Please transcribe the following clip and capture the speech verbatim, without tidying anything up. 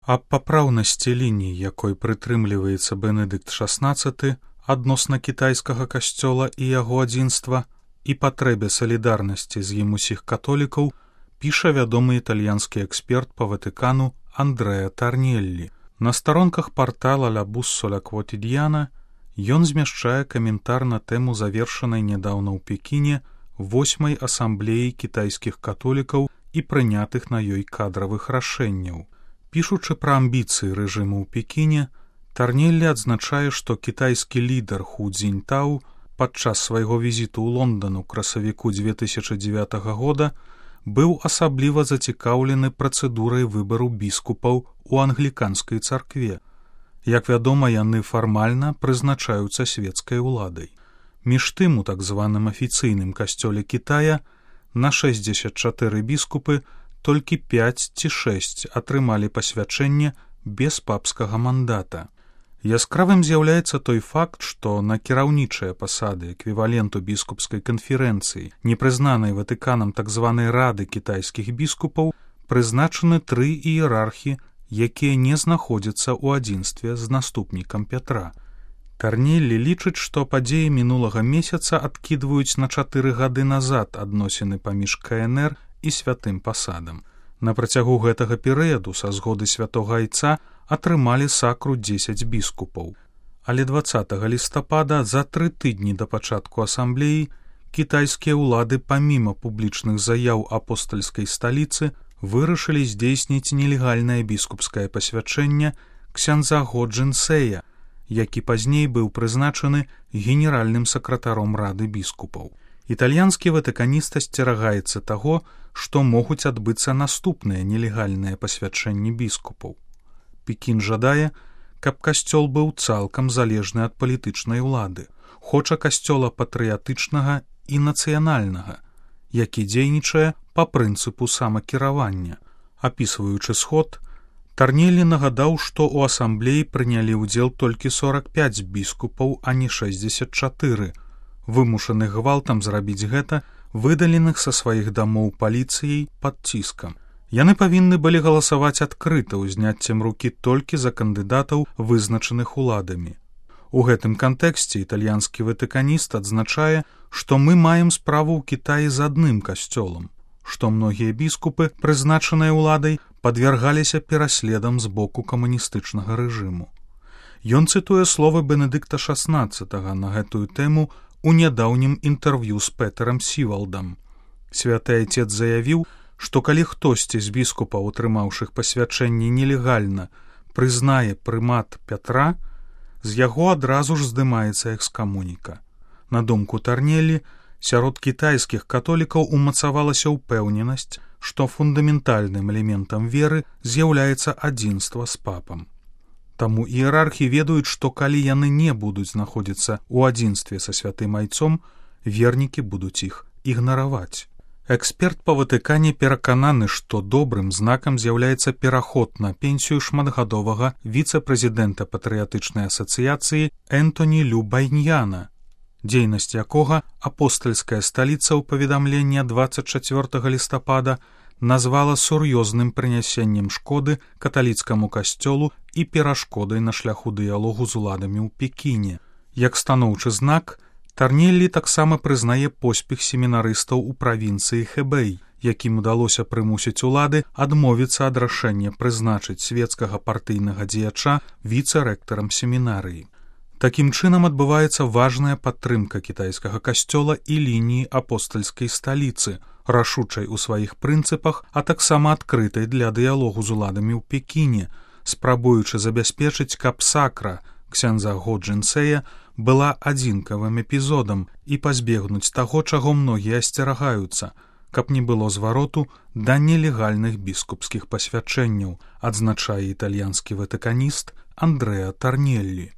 Аб папраўнасці ліній, якой прытрымліваецца Бенедыкт шаснаццаты адносна кітайскага касцёла і яго адзінства і патрэбе салідарнасці з ім усіх католікаў, піша вядомы італьянскі эксперт па Ватыкану Андрэа Тарнеллі. На старонках партала «Ла Буссоля Квотідіяна» ён змяшчае каментар на тэму завершанай нядаўна ў Пекіне восьмай асамблеі кітайскіх католікаў і прынятых на ёй кадравых рашэнняў. Пішучы пра амбіцыі рэжыму ў Пекіне, Тарнеллі адзначае, што кітайскі лідар Ху Цзіньтау падчас свайго візіту ў Лондан у красавіку дзве тысячы дзевятага года быў асабліва зацікаўлены працэдурай выбару біскупаў у англіканскай царкве. Як вядома, яны фармальна прызначаюцца свецкай уладай. Між тым, у так званым афіцыйным касцёле Кітая на шэсцьдзесят чатыры біскупы толькі пяць ці шэсць атрымалі пасвячэнне без папскага мандата. Яскравым з'яўляецца той факт, што на кіраўнічыя пасады эквіваленту біскупскай канферэнцыі, непрызнанай Ватыканам так званай рады кітайскіх біскупаў, прызначаны тры іерархі, якія не знаходзяцца ў адзінстве з наступнікам Пятра. Тарнеллі лічыць, што падзеі мінулага месяца адкідваюць на чатыры гады назад адносіны паміж ка эн эр і святым пасадам. На працягу гэтага перыяду са згоды святога айца атрымалі сакру дзесяць біскупаў. Але дваццатага лістапада, за тры тыдні да пачатку асамблеі, кітайскія ўлады паміма публічных заяў апостальскай сталіцы вырашылі здзейсніць нелегальнае біскупскае пасвячэнне ксяндза Го Джинсэя, які пазней быў прызначаны генеральным сакратаром рады біскупаў. Італьянскі ватыканіст асцерагаецца таго, што могуць адбыцца наступныя нелегальныя пасвячэнні біскупаў. Пекін жадае, каб касцёл быў цалкам залежны ад палітычнай улады, хоча касцёла патрыятычнага і нацыянальнага, які дзейнічае па прынцыпу самакіравання. Апісваючы сход, Тарнеллі нагадаў, што ў асамблеі прынялі ўдзел толькі сорак пяць біскупаў, а не шэсцьдзесят чатыры, вымушаных гвалтам зрабіць гэта, выдаленых са сваіх дамоў паліцыяй пад ціскам. Яны павінны былі галасаваць адкрыта ўзняццем рукі толькі за кандыдатаў, вызначаных уладамі. У гэтым кантэксце італьянскі ватыканіст адзначае, што мы маем справу ў Кітаі з адным касцёлам, што многія біскупы, прызначаныя ўладай, падвяргаліся пераследам з боку камуністычнага рэжыму. Ён цытуе словы Бенедыкта шаснаццатага на гэтую тэму у нядаўнім інтэрв'ю з Петэрам Сівалдам. Святы айцец заявіў, што калі хтосьці з біскупаў, атрымаўшых пасвячэнне нелегальна, прызнае прымат Пятра, з яго адразу ж здымаецца экскамуніка. На думку Тарнеллі, сярод кітайскіх католікаў умацавалася ўпэўненасць, што фундаментальным элементам веры з'яўляецца адзінства з папам. Таму іерархі ведаюць, што калі яны не будуць знаходзіцца ў адзінстве са святым айцом, вернікі будуць іх ігнараваць. Эксперт па Ватыкане перакананы, што добрым знакам з'яўляецца пераход на пенсію шматгадовага віцэ-прэзідэнта патрыятычнай асацыяцыі Энтоні Лю Байньяна, дзейнасць якога апостальская сталіца ў паведамленні дваццаць чацвёртага лістапада назвала сур'ёзным прынясеннем шкоды каталіцкаму касцёлу і перашкодай на шляху дыялогу з уладамі ў Пекіне. Як станоўчы знак, Тарнеллі таксама прызнае поспех семінарыстаў у правінцыі Хэбэй, якім удалося прымусіць улады адмовіцца ад рашэння прызначыць свецкага партыйнага дзеяча віцэ-рэктарам семінарыі. Такім чынам адбываецца важная падтрымка кітайскага касцёла і лініі апостальскай сталіцы, рашучай у сваіх прынцыпах, а таксама адкрытай для дыялогу з уладамі ў Пекіне, спрабуючы забяспечыць, каб сакра ксяндза Го Джинсэя была адзінкавым эпізодам і пазбегнуць таго, чаго многія асцерагаюцца, каб не было звароту да нелегальных біскупскіх пасвячэнняў, адзначае італьянскі ватыканіст Андрэа Тарнеллі.